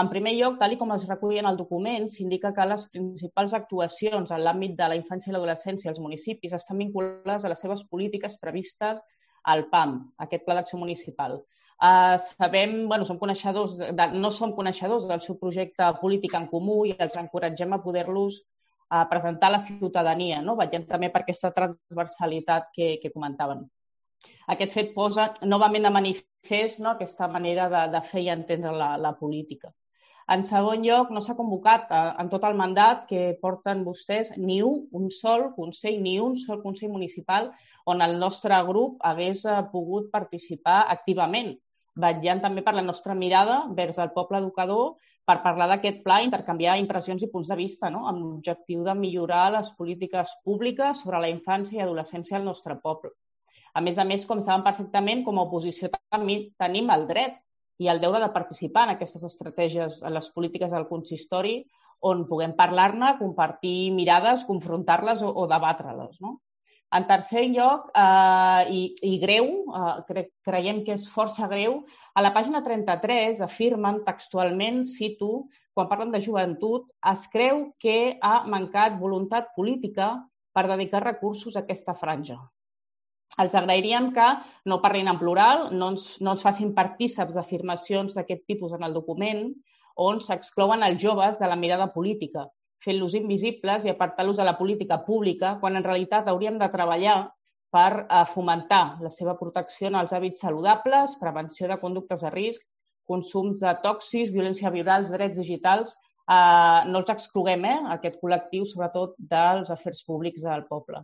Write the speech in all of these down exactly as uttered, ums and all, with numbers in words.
En primer lloc, tal com es recull en el document, s'indica que les principals actuacions en l'àmbit de la infància i l'adolescència als municipis estan vinculades a les seves polítiques previstes al P A M, aquest Pla d'Acció Municipal. Uh, sabem, bueno, som coneixedors, de, no som coneixedors del seu projecte polític en comú i els encoratgem a poder-los uh, presentar a la ciutadania, no? Veient també per aquesta transversalitat que, que comentaven. Aquest fet posa novament de manifest, no?, aquesta manera de, de fer i entendre la, la política. En segon lloc, no s'ha convocat en tot el mandat que porten vostès ni un, un sol Consell, ni un sol Consell Municipal on el nostre grup hagués pogut participar activament, vetllant també per la nostra mirada vers el poble educador per parlar d'aquest pla i intercanviar impressions i punts de vista, no?, amb l'objectiu de millorar les polítiques públiques sobre la infància i adolescència al nostre poble. A més a més, com saben perfectament, com a oposició també tenim el dret i el deure de participar en aquestes estratègies, en les polítiques del consistori, on puguem parlar-ne, compartir mirades, confrontar-les o, o debatre-les, no? En tercer lloc, eh, i, i greu, eh, cre creiem que és força greu, a la pàgina trenta-tres afirmen textualment, cito, quan parlen de joventut, es creu que ha mancat voluntat política per dedicar recursos a aquesta franja. Els agrairíem que no parlin en plural, no ens, no ens facin partíceps d'afirmacions d'aquest tipus en el document, on s'exclouen els joves de la mirada política, fent-los invisibles i apartant-los de la política pública, quan en realitat hauríem de treballar per fomentar la seva protecció en els hàbits saludables, prevenció de conductes de risc, consums de tòxics, violència viral, drets digitals. Eh, no els excloguem, eh, aquest col·lectiu, sobretot dels afers públics del poble.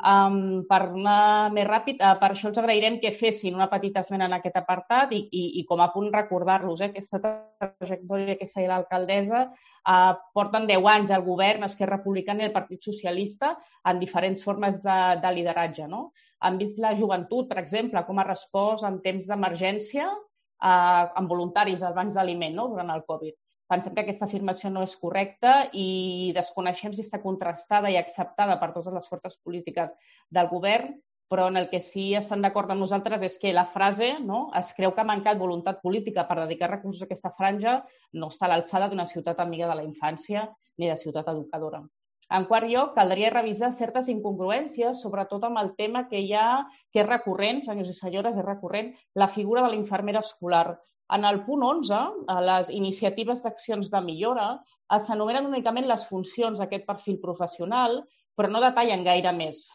Um, per anar més ràpid, uh, per això els agrairem que fessin una petita esmena en aquest apartat i, i, i com a punt recordar-los, eh, aquesta trajectòria que feia l'alcaldessa, uh, porten deu anys al govern, Esquerra Republicana i el Partit Socialista en diferents formes de, de lideratge, no? Han vist la joventut, per exemple, com ha respost en temps d'emergència uh, amb voluntaris als bancs d'aliment, no?, durant el Covid. Pensem que aquesta afirmació no és correcta i desconeixem si està contrastada i acceptada per totes les forces polítiques del govern, però en el que sí estan d'acord amb nosaltres és que la frase, no?, es creu que ha mancat voluntat política per dedicar recursos a aquesta franja, no està a l'alçada d'una ciutat amiga de la infància ni de ciutat educadora. En quart lloc, caldria revisar certes incongruències, sobretot amb el tema que hi ha, que és recurrent, senyors i senyores, és recurrent, la figura de la infermera escolar. En el punt onze, a les iniciatives d'accions de millora, s'enumeren únicament les funcions d'aquest perfil professional, però no detallen gaire més,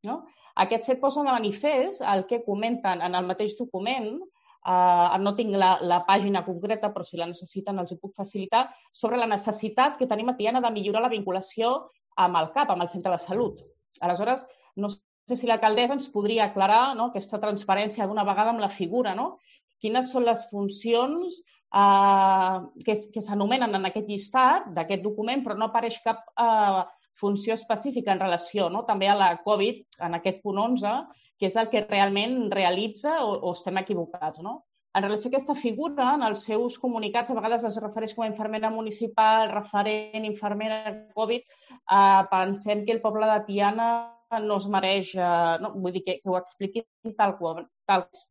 no? Aquest fet posa de manifest el que comenten en el mateix document, eh, no tinc la, la pàgina concreta, però si la necessiten els hi puc facilitar, sobre la necessitat que tenim a Tiana de millorar la vinculació amb el C A P, amb el centre de salut. Aleshores, no sé si l'alcaldessa ens podria aclarar, no?, aquesta transparència d'una vegada amb la figura, no?, quines són les funcions eh, que, que s'anomenen en aquest llistat d'aquest document, però no apareix cap eh, funció específica en relació, no?, també a la Covid, en aquest punt onze, que és el que realment realitza o, o estem equivocats, no? En relació a aquesta figura, en els seus comunicats, a vegades es refereix com a infermera municipal, referent, infermera Covid, eh, pensem que el poble de Tiana no es mereix, eh, no, vull dir que, que ho expliquin tal qual, tal qual.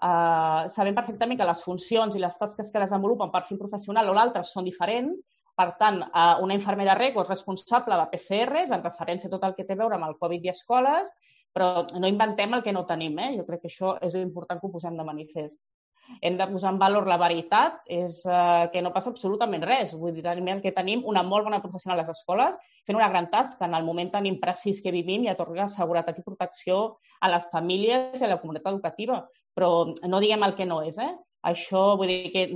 Uh, sabem perfectament que les funcions i les tasques que desenvolupen per perfil professional o l'altre són diferents. Per tant, uh, una infermera rego és responsable de P C Rs en referència a tot el que té a veure amb el Covid i escoles, però no inventem el que no tenim, eh? Jo crec que això és important que ho posem de manifest. Hem de posar en valor la veritat, és uh, que no passa absolutament res. Vull dir, el que tenim una molt bona professional a les escoles fent una gran tasca en el moment tan imprecís que vivim i atorga seguretat i protecció a les famílies i a la comunitat educativa. Però no diguem el que no és, eh? Això, vull dir que,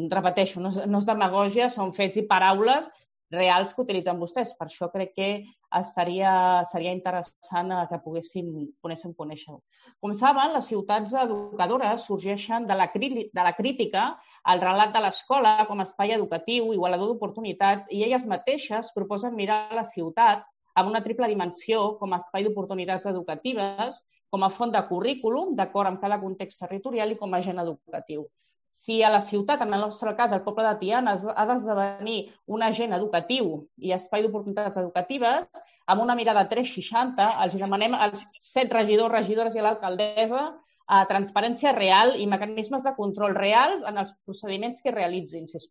repeteixo, no és, no és demagògia, són fets i paraules reals que utilitzen vostès. Per això crec que estaria, seria interessant que poguéssim, poguéssim conèixer-ho. Com saben, les ciutats educadores sorgeixen de la, de la crítica al relat de l'escola com a espai educatiu, igualador d'oportunitats, i elles mateixes proposen mirar la ciutat amb una triple dimensió com a espai d'oportunitats educatives, com a font de currículum, d'acord amb cada context territorial i com a agent educatiu. Si a la ciutat, en el nostre cas, el poble de Tiana, ha d'esdevenir un agent educatiu i espai d'oportunitats educatives, amb una mirada tres seixanta, els demanem als set regidors, regidores i a l'alcaldessa a transparència real i mecanismes de control reals en els procediments que realitzin, sisplau.